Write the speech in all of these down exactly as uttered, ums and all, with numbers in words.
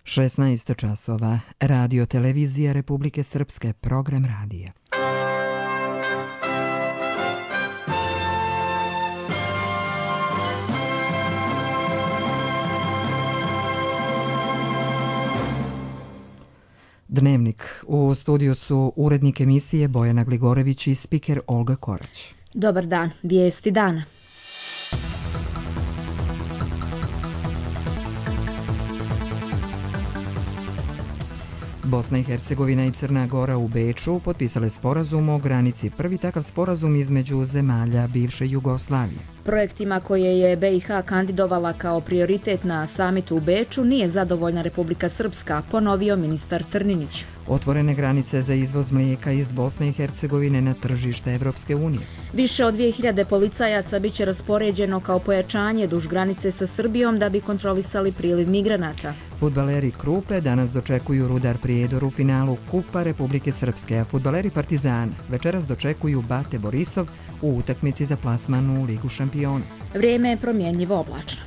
šesnaest časova. Radio televizija Republike Srpske, program radija. Dnevnik. U studiju su urednik emisije Bojana Gligorević i spiker Olga Korać. Dobar dan, vijesti dana. Bosna i Hercegovina i Crna Gora u Beču potpisale sporazum o granici, prvi takav sporazum između zemalja bivše Jugoslavije. Projektima koje je B i H kandidovala kao prioritet na samitu u Beču nije zadovoljna Republika Srpska, ponovio ministar Trninić. Otvorene granice za izvoz mlijeka iz Bosne i Hercegovine na tržište Evropske unije. Više od dvije hiljade policajaca biće raspoređeno kao pojačanje duž granice sa Srbijom da bi kontrolisali priliv migranata. Fudbaleri Krupe danas dočekuju Rudar Prijedor u finalu Kupa Republike Srpske, a fudbaleri Partizana večeras dočekuju Bate Borisov u utakmici za plasman u Ligu šampiona. Vrijeme je promjenjivo oblačno.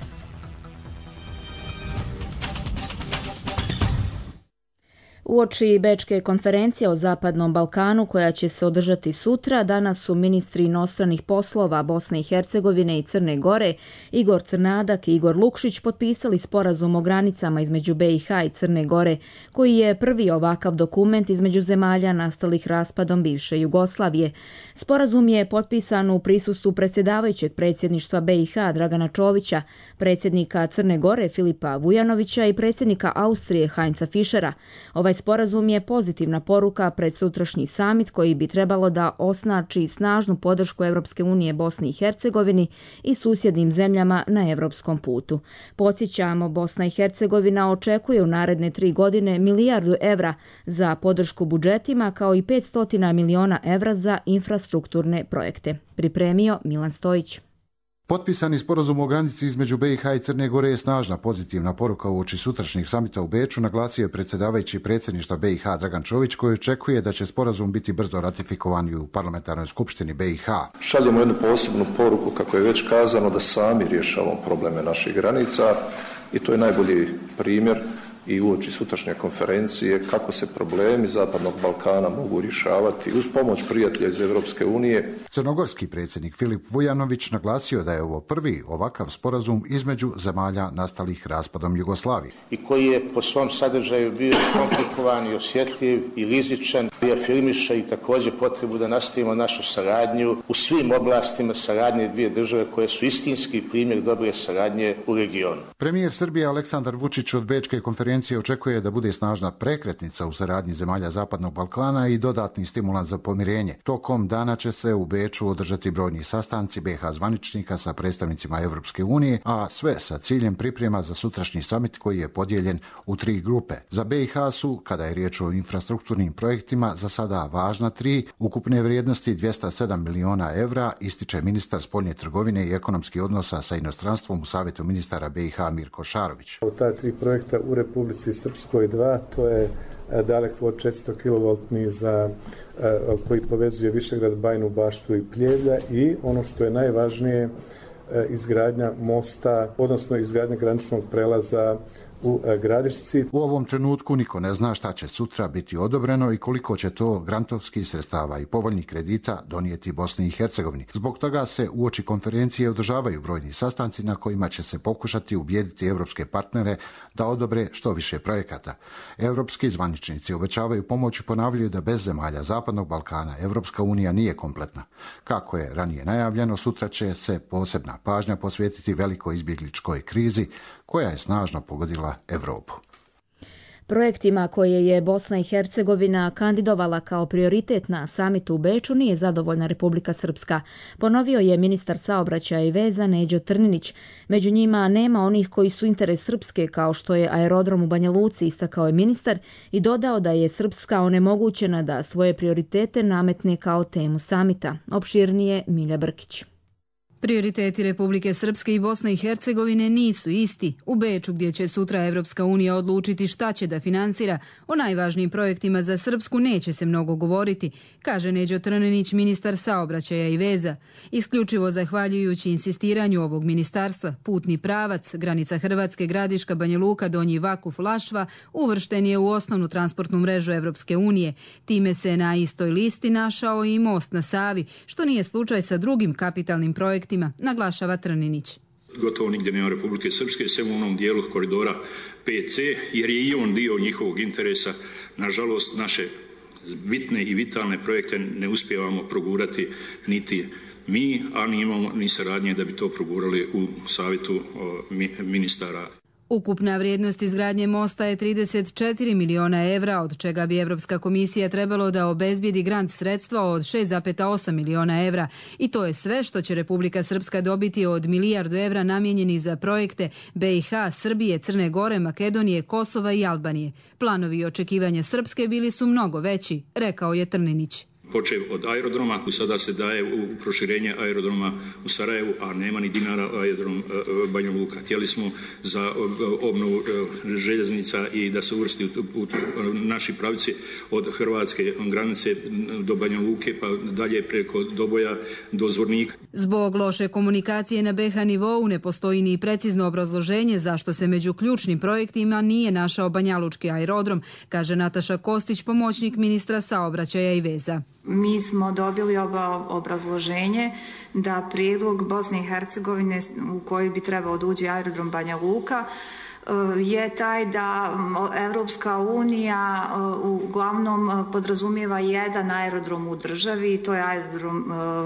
Uoči Bečke konferencije o Zapadnom Balkanu koja će se održati sutra, danas su ministri inostranih poslova Bosne i Hercegovine i Crne Gore Igor Crnadak i Igor Lukšić potpisali sporazum o granicama između B i H i Crne Gore, koji je prvi ovakav dokument između zemalja nastalih raspadom bivše Jugoslavije. Sporazum je potpisan u prisustvu predsjedavajućeg predsjedništva B i H Dragana Čovića, predsjednika Crne Gore Filipa Vujanovića i predsjednika Austrije Heinza Fischera. Ovaj sporazum je pozitivna poruka pred sutrašnji samit koji bi trebalo da osnači snažnu podršku Evropske unije Bosni i Hercegovini i susjednim zemljama na evropskom putu. Podsjećamo, Bosna i Hercegovina očekuje u naredne tri godine milijardu evra za podršku budžetima kao i petsto miliona evra za infrastrukturne projekte. Pripremio Milan Stojić. Potpisani sporazum o granici između B i H i Crne Gore je snažna pozitivna poruka uoči sutrašnjeg samita u Beču, naglasio je predsjedavajući predsjedništva B i H Dragan Čović, koji očekuje da će sporazum biti brzo ratifikovan u parlamentarnoj skupštini B i H. Šaljemo jednu posebnu poruku, kako je već kazano, da sami rješavamo probleme naših granica i to je najbolji primjer i uoči sutrašnje konferencije kako se problemi Zapadnog Balkana mogu rješavati uz pomoć prijatelja iz Evropske unije. Crnogorski predsjednik Filip Vujanović naglasio da je ovo prvi ovakav sporazum između zemalja nastalih raspadom Jugoslavije. I koji je po svom sadržaju bio komplikovan i osjetljiv i rizičan, i afirmiše i također potrebu da nastavimo našu saradnju u svim oblastima saradnje dvije države koje su istinski primjer dobre saradnje u regionu. Premijer Srbije Aleksandar Vučić od Bečke konferencije očekuje da bude snažna prekretnica u saradnji zemalja Zapadnog Balkana i dodatni stimulans za pomirenje. Tokom dana će se u Beču održati brojni sastanci B i H zvaničnika sa predstavnicima Evropske unije, a sve sa ciljem priprema za sutrašnji samit koji je podijeljen u tri grupe. Za B i H su, kada je riječ o infrastrukturnim projektima, za sada važna tri, ukupne vrijednosti dvjesto sedam miliona evra, ističe ministar spoljne trgovine i ekonomskih odnosa sa inostranstvom u Savjetu ministara B i H Mirko Šarović. Ta tri projekta u Republici Srpskoj dva, to je dalekovod četiristo kilovoltni za koji povezuje Višegrad, Bajinu Baštu i Pljevlja i ono što je najvažnije, izgradnja mosta, odnosno izgradnja graničnog prelaza u Gradišci. U ovom trenutku niko ne zna šta će sutra biti odobreno i koliko će to grantovskih sredstava i povoljnih kredita donijeti Bosni i Hercegovini. Zbog toga se uoči konferencije održavaju brojni sastanci na kojima će se pokušati ubijediti evropske partnere da odobre što više projekata. Evropski zvaničnici obećavaju pomoć i ponavljaju da bez zemalja Zapadnog Balkana Evropska unija nije kompletna. Kako je ranije najavljeno, sutra će se posebna pažnja posvetiti velikoj izbjegličkoj krizi koja je snažno pogodila Evropu. Projektima koje je Bosna i Hercegovina kandidovala kao prioritet na samitu u Beču nije zadovoljna Republika Srpska, ponovio je ministar saobraćaja i veza Neđo Trninić. Među njima nema onih koji su interes Srpske, kao što je aerodrom u Banja Luci, istakao je ministar i dodao da je Srpska onemogućena da svoje prioritete nametne kao temu samita. Opširnije Milja Brkić. Prioriteti Republike Srpske i Bosne i Hercegovine nisu isti. U Beču, gdje će sutra Evropska unija odlučiti šta će da finansira, o najvažnijim projektima za Srpsku neće se mnogo govoriti, kaže Neđo Trninić, ministar saobraćaja i veza. Isključivo zahvaljujući insistiranju ovog ministarstva, putni pravac, granica Hrvatske, Gradiška, Banja Luka, Donji Vakuf, Lašva, uvršten je u osnovnu transportnu mrežu Evropske unije. Time se na istoj listi našao i most na Savi, što nije slučaj sa drugim kapitalnim projektima, naglašava Trninić. Gotovo nigdje nema Republike Srpske, sem u onom dijelu koridora P C, jer je i on dio njihovog interesa. Nažalost, naše bitne i vitalne projekte ne uspijevamo progurati niti mi, a ni imamo ni saradnje da bi to progurali u savjetu ministara. Ukupna vrijednost izgradnje mosta je trideset četiri miliona evra, od čega bi Evropska komisija trebalo da obezbijedi grant sredstva od šest zarez osam miliona evra. I to je sve što će Republika Srpska dobiti od milijardu evra namijenjeni za projekte B i H, Srbije, Crne Gore, Makedonije, Kosova i Albanije. Planovi i očekivanja Srpske bili su mnogo veći, rekao je Trninić. Počev od aerodroma, sada se daje u proširenje aerodroma u Sarajevu, a nema ni dinara aerodrom Banja Luka. Htjeli smo za obnovu željeznica i da se uvrsti u naši pravici od hrvatske granice do Banja Luke, pa dalje preko Doboja do Zvornika. Zbog loše komunikacije na B H nivou ne postoji ni precizno obrazloženje zašto se među ključnim projektima nije našao Banjalučki aerodrom, kaže Nataša Kostić, pomoćnik ministra saobraćaja i veza. Mi smo dobili obrazloženje da prijedlog Bosne i Hercegovine u koji bi trebao da uđe aerodrom Banja Luka je taj da Evropska unija uglavnom podrazumijeva jedan aerodrom u državi i to je aerodrom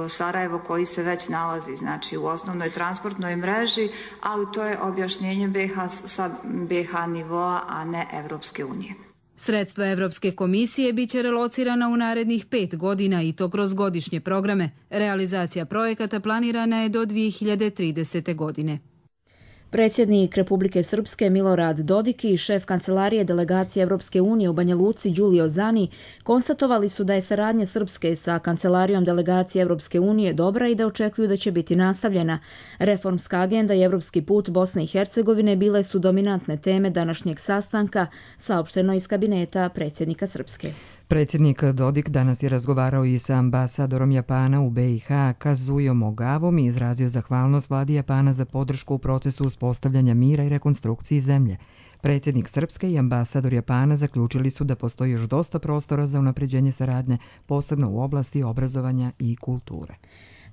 Sarajevo koji se već nalazi znači u osnovnoj transportnoj mreži, ali to je objašnjenje B H sa B H nivoa, a ne Evropske unije. Sredstva Evropske komisije bit će relocirana u narednih pet godina i to kroz godišnje programe. Realizacija projekata planirana je do dvije hiljade tridesete. godine. Predsjednik Republike Srpske Milorad Dodik i šef kancelarije delegacije Evropske unije u Banja Luci Đulio Zani konstatovali su da je saradnja Srpske sa kancelarijom delegacije Evropske unije dobra i da očekuju da će biti nastavljena. Reformska agenda i evropski put Bosne i Hercegovine bile su dominantne teme današnjeg sastanka, saopšteno iz kabineta predsjednika Srpske. Predsjednik Dodik danas je razgovarao i sa ambasadorom Japana u B i H Kazujom Ogavom i izrazio zahvalnost vladi Japana za podršku u procesu uspostavljanja mira i rekonstrukciji zemlje. Predsjednik Srpske i ambasador Japana zaključili su da postoji još dosta prostora za unapređenje saradnje, posebno u oblasti obrazovanja i kulture.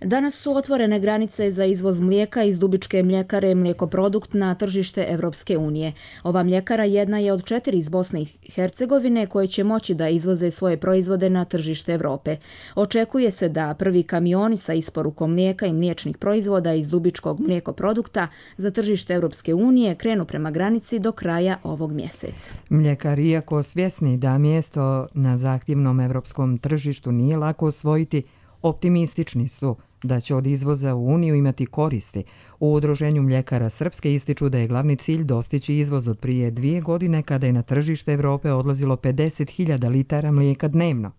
Danas su otvorene granice za izvoz mlijeka iz Dubičke mljekare Mlijekoprodukt na tržište Evropske unije. Ova mljekara jedna je od četiri iz Bosne i Hercegovine koje će moći da izvoze svoje proizvode na tržište Evrope. Očekuje se da prvi kamioni sa isporukom mlijeka i mliječnih proizvoda iz Dubičkog Mlijekoprodukta za tržište Evropske unije krenu prema granici do kraja ovog mjeseca. Mljekari, iako svjesni da mjesto na zahtjevnom evropskom tržištu nije lako osvojiti, optimistični su da će od izvoza u Uniju imati koristi. U Udruženju mljekara Srpske ističu da je glavni cilj dostići izvoz od prije dvije godine kada je na tržište Evrope odlazilo pedeset hiljada litara mlijeka dnevno.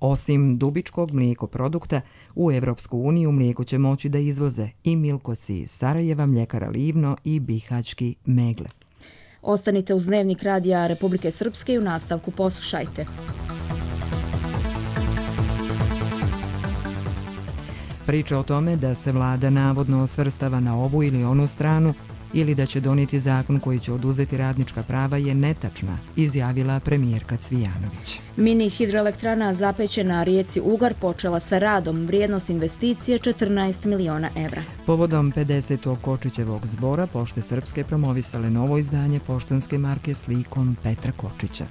Osim Dubičkog mlijekoprodukta, u Evropsku uniju mlijeko će moći da izvoze i Milkosi iz Sarajeva, mljekara Livno i Bihaćki Megle. Ostanite uz Dnevnik radija Republike Srpske i u nastavku poslušajte. Priča o tome da se vlada navodno svrstava na ovu ili onu stranu ili da će donijeti zakon koji će oduzeti radnička prava je netačna, izjavila premijerka Cvijanović. Mini hidroelektrana zapećena na rijeci Ugar počela sa radom, vrijednost investicije četrnaest miliona evra. Povodom pedesetog Kočićevog zbora Pošte Srpske promovisale novo izdanje poštanske marke s likom Petra Kočića.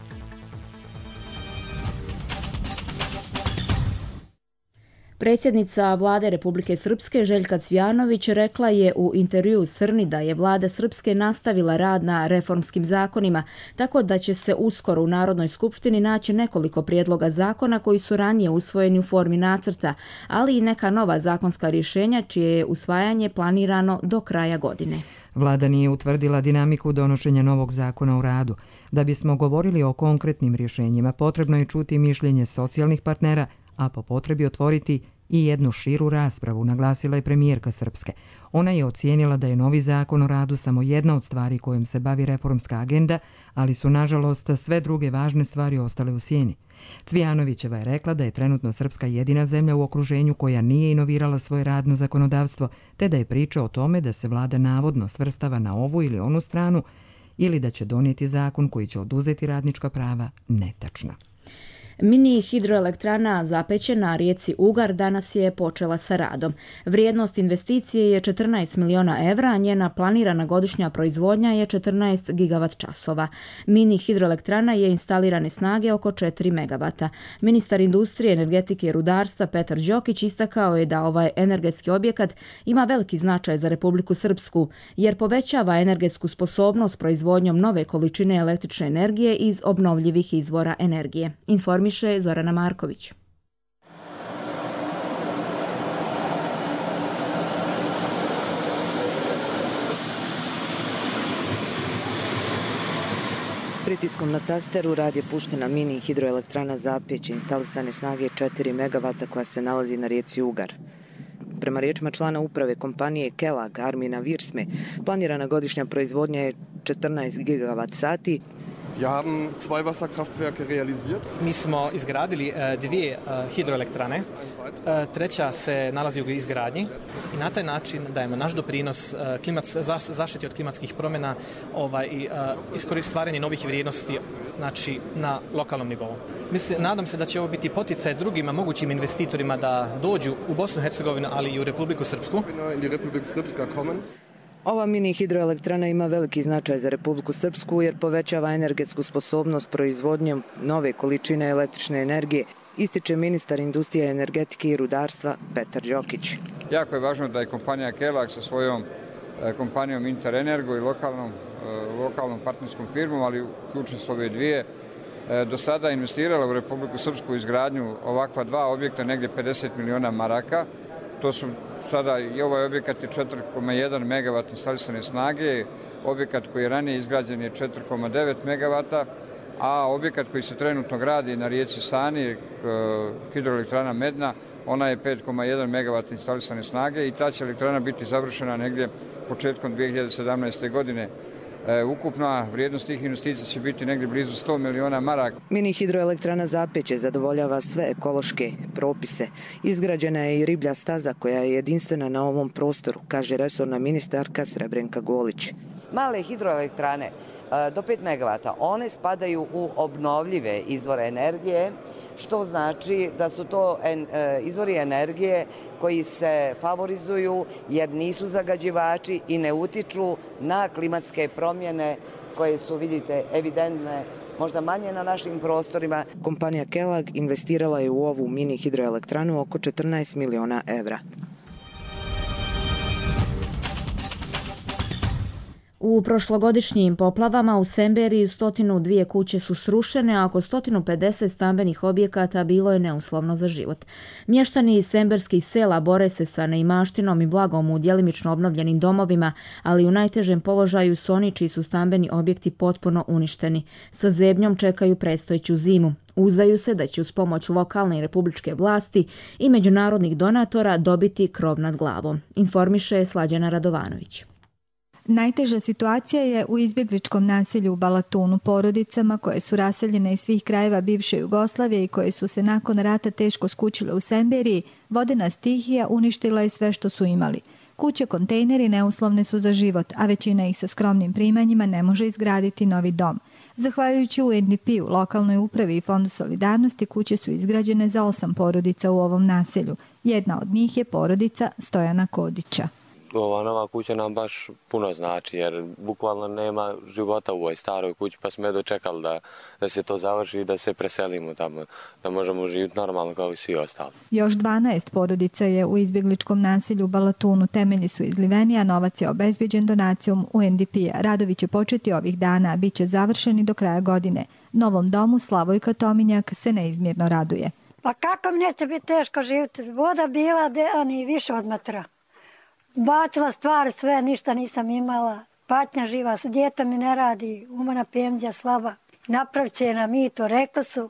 Predsjednica vlade Republike Srpske Željka Cvijanović rekla je u intervjuu Srni da je vlada Srpske nastavila rad na reformskim zakonima, tako da će se uskoro u Narodnoj skupštini naći nekoliko prijedloga zakona koji su ranije usvojeni u formi nacrta, ali i neka nova zakonska rješenja čije je usvajanje planirano do kraja godine. Vlada nije utvrdila dinamiku donošenja novog zakona o radu. Da bismo govorili o konkretnim rješenjima, potrebno je čuti mišljenje socijalnih partnera, a po potrebi otvoriti i jednu širu raspravu, naglasila je premijerka Srpske. Ona je ocijenila da je novi zakon o radu samo jedna od stvari kojom se bavi reformska agenda, ali su nažalost sve druge važne stvari ostale u sjeni. Cvijanovićeva je rekla da je trenutno Srpska jedina zemlja u okruženju koja nije inovirala svoje radno zakonodavstvo, te da je priča o tome da se vlada navodno svrstava na ovu ili onu stranu ili da će donijeti zakon koji će oduzeti radnička prava netačna. Mini hidroelektrana Zapeće na rijeci Ugar danas je počela sa radom. Vrijednost investicije je četrnaest miliona evra, a njena planirana godišnja proizvodnja je četrnaest gigavat časova. Mini hidroelektrana je instalirane snage oko četiri megavata. Ministar industrije, energetike i rudarstva Petar Đokić istakao je da ovaj energetski objekat ima veliki značaj za Republiku Srpsku, jer povećava energetsku sposobnost proizvodnjom nove količine električne energije iz obnovljivih izvora energije. Informi Zorana Marković. Pritiskom na tasteru rad je puštena mini hidroelektrana Zapeće instalisane snage četiri megavata koja se nalazi na rijeci Ugar. Prema riječima člana uprave kompanije Kelag Armina Virsme, planirana godišnja proizvodnja je četrnaest gigavat sati. Wir haben zwei Wasserkraftwerke realisiert. Mi smo izgradili uh, dvije uh, hidroelektrane. Uh, treća se nalazi u izgradnji i na taj način dajemo naš doprinos uh, klimac, zaš, zaštiti od klimatskih promjena ovaj, i uh, stvaranje novih vrijednosti, znači, na lokalnom nivou. Mislim, nadam se da će ovo biti poticaj drugim mogućim investitorima da dođu u Bosnu i Hercegovinu, ali i u Republiku Srpsku. Ova mini hidroelektrana ima veliki značaj za Republiku Srpsku jer povećava energetsku sposobnost proizvodnjom nove količine električne energije, ističe ministar industrije, energetike i rudarstva Petar Đokić. Jako je važno da je kompanija Kelag sa svojom kompanijom Interenergo i lokalnom, lokalnom partnerskom firmom, ali uključuju su ove dvije, do sada investirala u Republiku Srpsku izgradnju ovakva dva objekta, negdje pedeset miliona maraka. To su sada i ovaj objekat je četiri zarez jedan megavat instalisane snage, objekat koji je ranije izgrađen je četiri zarez devet megavata, a objekat koji se trenutno gradi na rijeci Sani, hidroelektrana Medna, ona je pet zarez jedan megavat instalisane snage i ta će elektrana biti završena negdje početkom dvije hiljade sedamnaeste. godine. E, ukupna vrijednost tih investicija će biti negdje blizu sto miliona maraka. Mini hidroelektrana Zapeće zadovoljava sve ekološke propise. Izgrađena je i riblja staza koja je jedinstvena na ovom prostoru, kaže resorna ministarka Srebrenka Golić. Male hidroelektrane do pet megavata, one spadaju u obnovljive izvore energije, što znači da su to izvori energije koji se favorizuju jer nisu zagađivači i ne utiču na klimatske promjene koje su, vidite, evidentne, možda manje na našim prostorima. Kompanija Kelag investirala je u ovu mini hidroelektranu oko četrnaest miliona evra. U prošlogodišnjim poplavama u Semberiji stotinu dvije kuće su srušene, a oko stotinu pedeset stambenih objekata bilo je neuslovno za život. Mještani iz semberskih sela bore se sa neimaštinom i vlagom u djelimično obnovljenim domovima, ali u najtežem položaju su oni čiji su stambeni objekti potpuno uništeni. Sa zebnjom čekaju predstojeću zimu. Uzdaju se da će uz pomoć lokalne i republičke vlasti i međunarodnih donatora dobiti krov nad glavom, informiše Slađana Radovanović. Najteža situacija je u izbjegličkom naselju u Balatunu, porodicama koje su raseljene iz svih krajeva bivše Jugoslavije i koje su se nakon rata teško skućile u Semberiji. Vodena stihija uništila je sve što su imali. Kuće, kontejneri neuslovne su za život, a većina ih sa skromnim primanjima ne može izgraditi novi dom. Zahvaljujući U N D P-u, lokalnoj upravi i Fondu solidarnosti, kuće su izgrađene za osam porodica u ovom naselju. Jedna od njih je porodica Stojana Kodića. Ova nova kuća nam baš puno znači jer bukvalno nema života u ovoj staroj kući, pa smo je dočekali da, da se to završi i da se preselimo tamo, da možemo živjeti normalno kao i svi ostali. Još dvanaest porodica je u izbjegličkom naselju u Balatunu. Temelji su izliveni, a novac je obezbeđen donacijom U N D P-a. Radovi će početi ovih dana, a bit će završeni do kraja godine. Novom domu Slavojka Tominjak se neizmjerno raduje. Pa kako mi neće biti teško živjeti? Voda bila ani više od metra. Bacila stvari sve, ništa nisam imala. Patnja živa, djeta mi ne radi, umana penzija slaba. Napravit će nam i to, rekli su.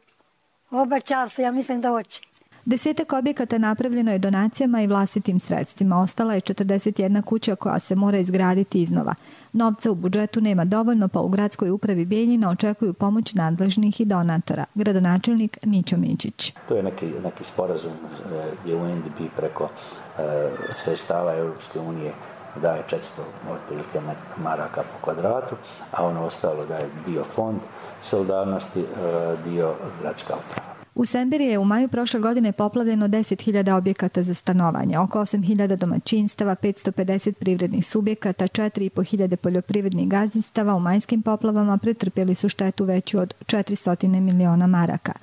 Obećali su, ja mislim da hoće. Desetak objekata napravljeno je donacijama i vlastitim sredstvima. Ostala je četrdeset jedna kuća koja se mora izgraditi iznova. Novca u budžetu nema dovoljno, pa u gradskoj upravi Bijeljina očekuju pomoć nadležnih i donatora. Gradonačelnik Mićo Mićić. To je neki, neki sporazum gdje U N D P preko e, sredstava Europske unije daje četiristo otprilike maraka po kvadratu, a ono ostalo daje dio fond solidarnosti, dio gradska uprava. U Sembiri je u maju prošle godine poplavljeno deset hiljada objekata za stanovanje, oko osam hiljada domaćinstava, petsto pedeset privrednih subjekata, četiri i po hiljade poljoprivrednih gazdinstava u majskim poplavama pretrpjeli su štetu veću od četiristo miliona maraka.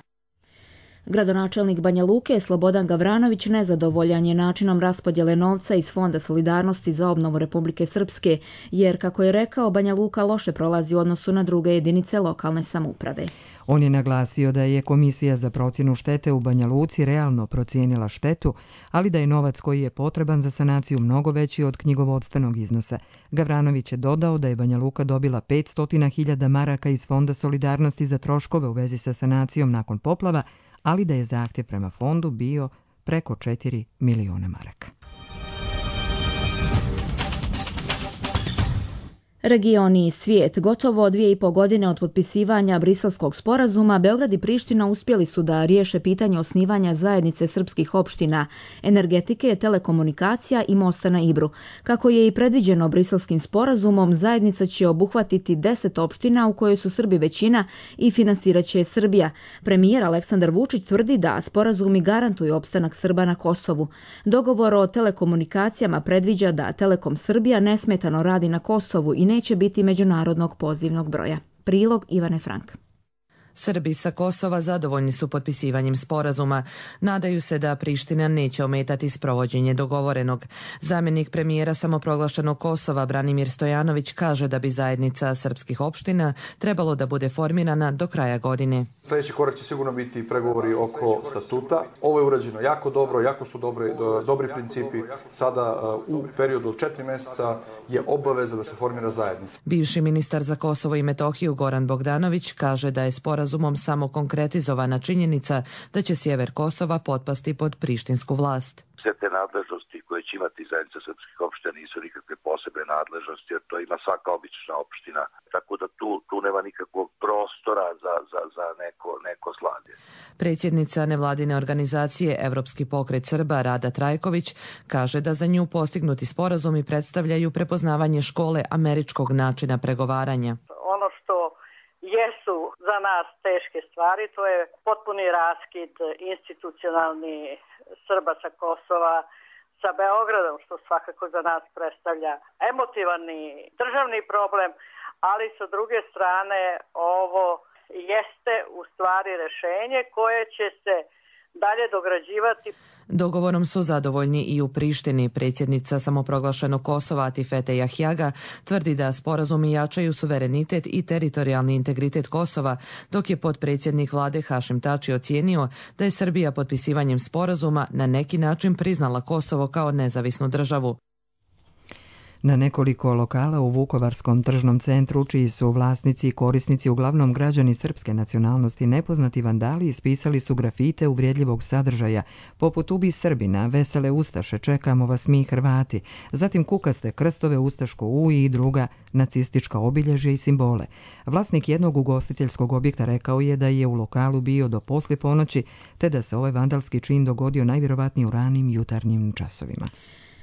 Gradonačelnik Banja Luke Slobodan Gavranović nezadovoljan je načinom raspodjele novca iz Fonda solidarnosti za obnovu Republike Srpske, jer, kako je rekao, Banja Luka loše prolazi u odnosu na druge jedinice lokalne samouprave. On je naglasio da je Komisija za procjenu štete u Banja Luci realno procijenila štetu, ali da je novac koji je potreban za sanaciju mnogo veći od knjigovodstvenog iznosa. Gavranović je dodao da je Banja Luka dobila petsto hiljada maraka iz Fonda solidarnosti za troškove u vezi sa sanacijom nakon poplava, ali da je zahtjev prema fondu bio preko četiri miliona maraka. Regioni i svijet. Gotovo dvije i po godine od potpisivanja Briselskog sporazuma, Beograd i Priština uspjeli su da riješe pitanje osnivanja zajednice srpskih opština, energetike, telekomunikacija i mosta na Ibru. Kako je i predviđeno Briselskim sporazumom, zajednica će obuhvatiti deset opština u kojoj su Srbi većina i finansirat će Srbija. Premijer Aleksandar Vučić tvrdi da sporazumi garantuju opstanak Srba na Kosovu. Dogovor o telekomunikacijama predviđa da Telekom Srbija nesmetano radi na Kosovu i ne neće biti međunarodnog pozivnog broja. Prilog Ivane Frank. Srbi sa Kosova zadovoljni su potpisivanjem sporazuma. Nadaju se da Priština neće ometati sprovođenje dogovorenog. Zamjenik premijera samoproglašenog Kosova Branimir Stojanović kaže da bi zajednica srpskih opština trebalo da bude formirana do kraja godine. Sljedeći korak će sigurno biti pregovori oko statuta. Ovo je urađeno jako dobro, jako su dobri, dobri principi. Sada u periodu od četiri mjeseca je obaveza da se formira zajednica. Bivši ministar za Kosovo i Metohiju Goran Bogdanović kaže da je sporazumom samo konkretizovana činjenica da će sjever Kosova potpasti pod prištinsku vlast. Sve te nadležnosti koje će imati zajednica srpskih opština nisu nikakve posebne nadležnosti, jer to ima svaka obična opština, tako da tu, tu nema nikakvog prostora za, za, za neko, neko slavlje. Predsjednica nevladine organizacije Evropski pokret Srba Rada Trajković kaže da za nju postignuti sporazumi predstavljaju prepoznavanje škole američkog načina pregovaranja. Ono što jesu za nas teške stvari, to je potpuni raskid institucionalni Srba sa Kosova sa Beogradom, što svakako za nas predstavlja emotivani državni problem, ali sa druge strane ovo jeste u stvari rješenje koje će se dalje dograđivati. Dogovorom su zadovoljni i u Prištini. Predsjednica samoproglašenog Kosova Atifete Jahjaga tvrdi da sporazumi jačaju suverenitet i teritorijalni integritet Kosova, dok je potpredsjednik vlade Hašim Tači ocijenio da je Srbija potpisivanjem sporazuma na neki način priznala Kosovo kao nezavisnu državu. Na nekoliko lokala u Vukovarskom tržnom centru, čiji su vlasnici i korisnici uglavnom građani srpske nacionalnosti, nepoznati vandali ispisali su grafite uvrijedljivog sadržaja, poput "Ubi Srbina", "Vesele Ustaše", "Čekamo vas mi Hrvati", zatim kukaste krstove, ustaško U i druga nacistička obilježja i simbole. Vlasnik jednog ugostiteljskog objekta rekao je da je u lokalu bio do poslije ponoći, te da se ovaj vandalski čin dogodio najvjerovatnije u ranim jutarnjim časovima.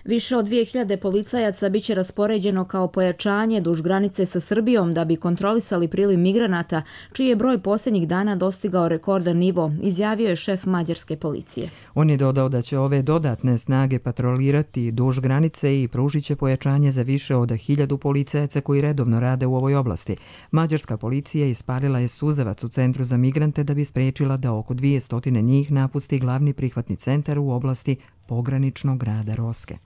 Više od dvije hiljade policajaca biće raspoređeno kao pojačanje duž granice sa Srbijom da bi kontrolisali priliv migranata, čiji je broj posljednjih dana dostigao rekordan nivo, izjavio je šef mađarske policije. On je dodao da će ove dodatne snage patrolirati duž granice i pružit će pojačanje za više od hiljadu policajaca koji redovno rade u ovoj oblasti. Mađarska policija ispalila je suzavac u centru za migrante da bi spriječila da oko dvije stotine njih napusti glavni prihvatni centar u oblasti pograničnog grada Roske.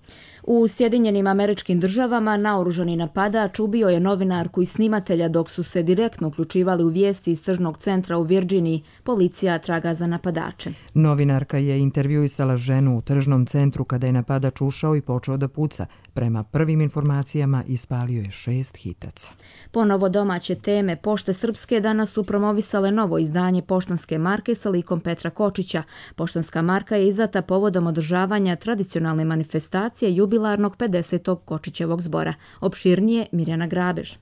U Sjedinjenim Američkim Državama naoružani napadač ubio je novinarku i snimatelja dok su se direktno uključivali u vijesti iz tržnog centra u Virginiji. Policija traga za napadačem. Novinarka je intervjuisala ženu u tržnom centru kada je napadač ušao i počeo da puca. Prema prvim informacijama ispalio je šest hitaca. Ponovo domaće teme. Pošte Srpske danas su promovisale novo izdanje poštanske marke sa likom Petra Kočića. Poštanska marka je izdata povodom održavanja tradicionalne manifestacije jubilarnog pedesetog Kočićevog zbora. Opširnije Mirjana Grabež.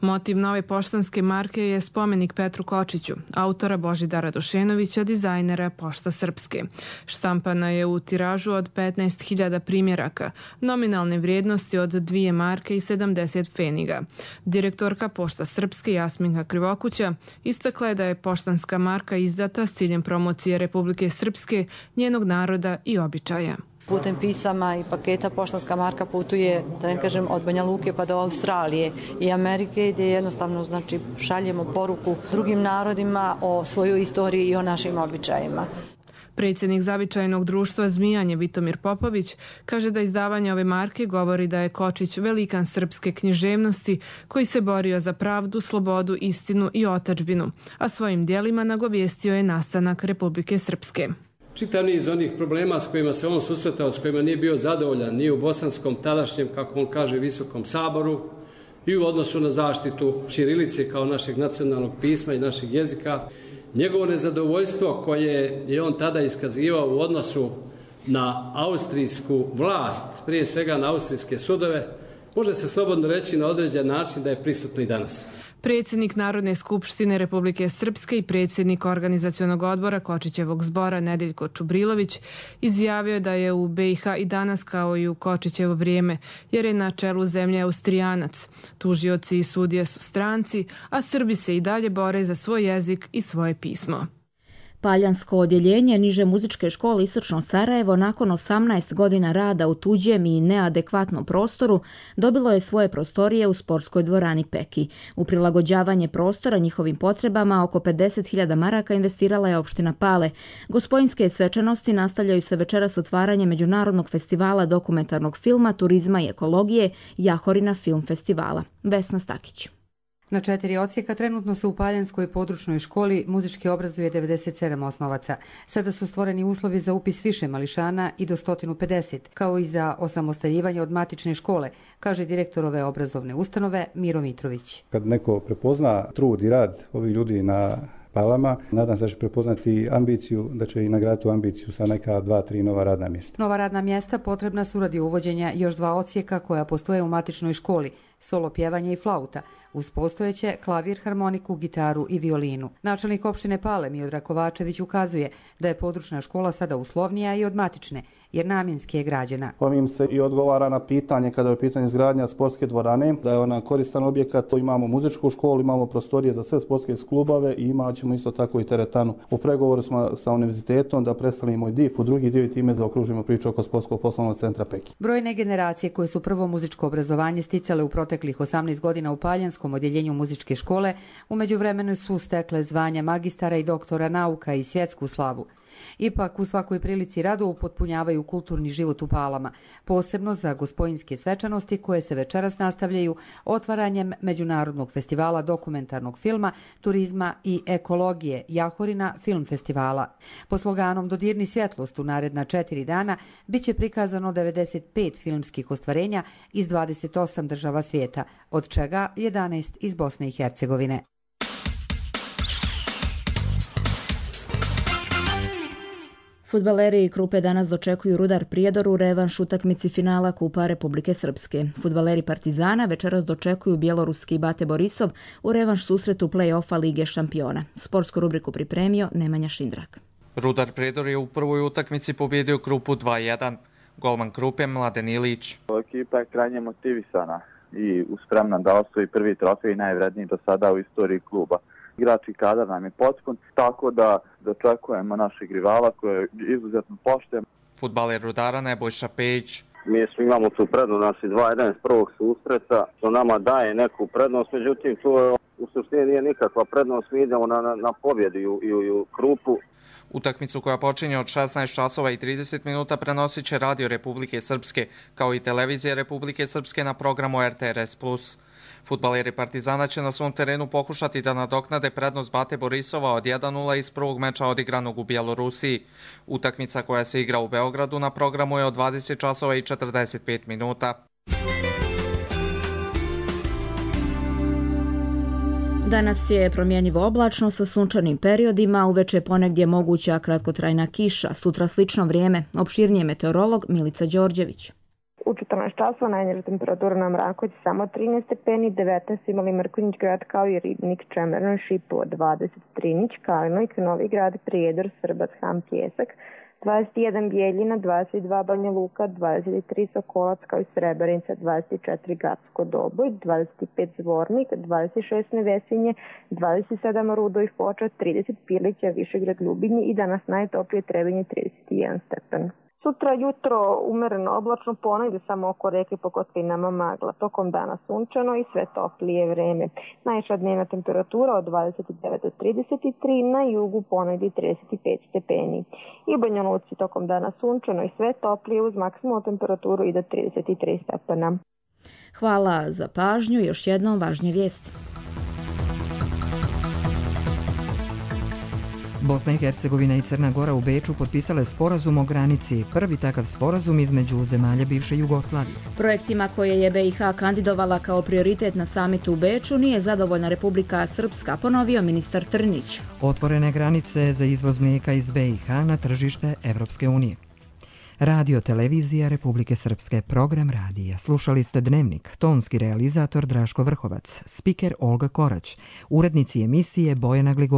Motiv nove poštanske marke je spomenik Petru Kočiću, autora Božidara Dušenovića, dizajnera Pošta Srpske. Štampana je u tiražu od petnaest hiljada primjeraka, nominalne vrijednosti od dvije marke i sedamdeset pfeniga. Direktorka Pošta Srpske Jasminka Krivokuća istakla je da je poštanska marka izdata s ciljem promocije Republike Srpske, njenog naroda i običaja. Putem pisama i paketa poštanska marka putuje, da ne kažem, od Banja Luke pa do Australije i Amerike, gdje jednostavno znači, šaljemo poruku drugim narodima o svojoj istoriji i o našim običajima. Predsjednik Zavičajnog društva Zmijanje Vitomir Popović kaže da izdavanje ove marke govori da je Kočić velikan srpske književnosti koji se borio za pravdu, slobodu, istinu i otadžbinu, a svojim dijelima nagovijestio je nastanak Republike Srpske. Čitav niz onih problema s kojima se on susretao, s kojima nije bio zadovoljan ni u bosanskom tadašnjem, kako on kaže, visokom saboru i u odnosu na zaštitu ćirilice kao našeg nacionalnog pisma i našeg jezika. Njegovo nezadovoljstvo koje je on tada iskazivao u odnosu na austrijsku vlast, prije svega na austrijske sudove, može se slobodno reći na određen način da je prisutno i danas. Predsjednik Narodne skupštine Republike Srpske i predsjednik organizacionog odbora Kočićevog zbora Nedeljko Čubrilović izjavio da je u be i ha i danas kao i u Kočićevo vrijeme, jer je na čelu zemlje Austrijanac. Tužioci i sudije su stranci, a Srbi se i dalje bore za svoj jezik i svoje pismo. Paljansko odjeljenje niže muzičke škole Istočno Sarajevo nakon osamnaest godina rada u tuđem i neadekvatnom prostoru dobilo je svoje prostorije u sportskoj dvorani Peki. U prilagođavanje prostora njihovim potrebama oko pedeset hiljada maraka investirala je opština Pale. Gospojinske svečanosti nastavljaju se večeras otvaranje Međunarodnog festivala dokumentarnog filma, turizma i ekologije Jahorina film festivala. Vesna Stakić. Na četiri odsjeka trenutno se u Paljanskoj područnoj školi muzički obrazuje devedeset sedam osnovaca. Sada su stvoreni uslovi za upis više mališana i do sto pedeset, kao i za osamostaljivanje od matične škole, kaže direktor ove obrazovne ustanove Miro Mitrović. Kad neko prepozna trud i rad ovih ljudi na Palama, nadam se da će prepoznati ambiciju, da će i nagraditi ambiciju sa neka dva, tri nova radna mjesta. Nova radna mjesta potrebna su radi uvođenja još dva odsjeka koja postoje u matičnoj školi, solo pjevanje i flauta, uz postojeće klavir, harmoniku, gitaru i violinu. Načelnik opštine Pale Miodrag Kovačević ukazuje da je područna škola sada uslovnija i od matične, jer namjenski je građena. Ovim se i odgovara na pitanje kada je u pitanju izgradnja sportske dvorane, da je ona koristan objekat. Imamo muzičku školu, imamo prostorije za sve sportske klubove i imat ćemo isto tako i teretanu. U pregovoru smo sa univerzitetom da predstavimo i D I F u drugi dio i time zaokružimo priču oko sportskog poslovnog centra Peki. Brojne generacije koje su prvo muzičko obrazovanje sticale u proteklih osamnaest godina u Paljanskom odjeljenju muzičke škole, u međuvremenu su stekle zvanja magistara i doktora nauka i svjetsku slavu. Ipak u svakoj prilici rado upotpunjavaju kulturni život u Palama, posebno za gospojinske svečanosti koje se večeras nastavljaju otvaranjem Međunarodnog festivala dokumentarnog filma, turizma i ekologije Jahorina film festivala. Po sloganom Dodirni svjetlost u naredna četiri dana biće prikazano devedeset pet filmskih ostvarenja iz dvadeset osam država svijeta, od čega jedanaest iz Bosne i Hercegovine. Fudbaleri Krupe danas dočekuju Rudar Prijedor u revanš utakmici finala Kupa Republike Srpske. Fudbaleri Partizana večeras dočekuju bjeloruski Bate Borisov u revanš susretu play-offa Lige šampiona. Sportsku rubriku pripremio Nemanja Šindrak. Rudar Prijedor je u prvoj utakmici pobjedio Krupu dva jedan. Golman Krupe Mladen Ilić. Ekipa je krajnje motivisana i spremna da osvoji prvi trofej, najvredniji do sada u istoriji kluba. Igrački kadar nam je potpun, tako da dočekujemo našeg rivala koji je izuzetno pošten. Fudbaler Rudara Nebojša Pejić. Mi smo imamo tu prednost, nas i dva jedan iz prvog susreta, što nama daje neku prednost, međutim tu je u suštini nije nikakva prednost, mi idemo na, na, na pobjedu i u, i u, i u Krupu. Utakmicu koja počinje od šesnaest časova i trideset minuta prenosit će Radio Republike Srpske, kao i Televizija Republike Srpske na programu R T R S plus. Fudbaleri Partizana će na svom terenu pokušati da nadoknade prednost Bate Borisova od jedan nula iz prvog meča odigranog u Bjelorusiji. Utakmica koja se igra u Beogradu na programu je od dvadeset časova i četrdeset pet minuta. Danas je promjenjivo oblačno sa sunčanim periodima, uveče ponegdje moguća kratkotrajna kiša, sutra slično vrijeme. Opširnije meteorolog Milica Đorđević. U četrnaest časova najniža temperatura na Mrakovici samo trinaest stepeni, devetnaest imali Mrkonjić grad kao i Ribnik, Čemerno i Šipovo, dvadeset Trinić, Kalinojk, Novi grad, Prijedor, Srbac, Ham, Pjesak, dvadeset jedan Bijeljina, dvadeset dva Banja Luka, dvadeset tri Sokolac kao i Srebrenica, dvadeset četiri Gacko Doboj, dvadeset pet Zvornik, dvadeset šest Nevesinje, dvadeset sedam Rudo i Foča, trideset Pilića, Višegrad, Ljubinje i danas najtoplije Trebinje trideset jedan stepen. Sutra jutro umereno oblačno, ponegdje samo oko reke po kotlinama magla. Tokom dana sunčano i sve toplije vreme. Najviša dnevna temperatura od dvadeset devet do trideset tri, na jugu ponegdje trideset pet stepeni. I u Banja Luci tokom dana sunčano i sve toplije uz maksimalnu temperaturu i do trideset tri stepena. Hvala za pažnju. Još jednom važnije vijesti. Bosna i Hercegovina i Crna Gora u Beču potpisale sporazum o granici, prvi takav sporazum između zemalja bivše Jugoslavije. Projektima koje je B i H kandidovala kao prioritet na samitu u Beču nije zadovoljna Republika Srpska, ponovio ministar Trnić. Otvorene granice za izvoz mlijeka iz B i H na tržište Evropske unije. Radio Televizija Republike Srpske, program radija. Slušali ste Dnevnik, tonski realizator Draško Vrhovac, spiker Olga Korać, urednici emisije Bojana Gligo.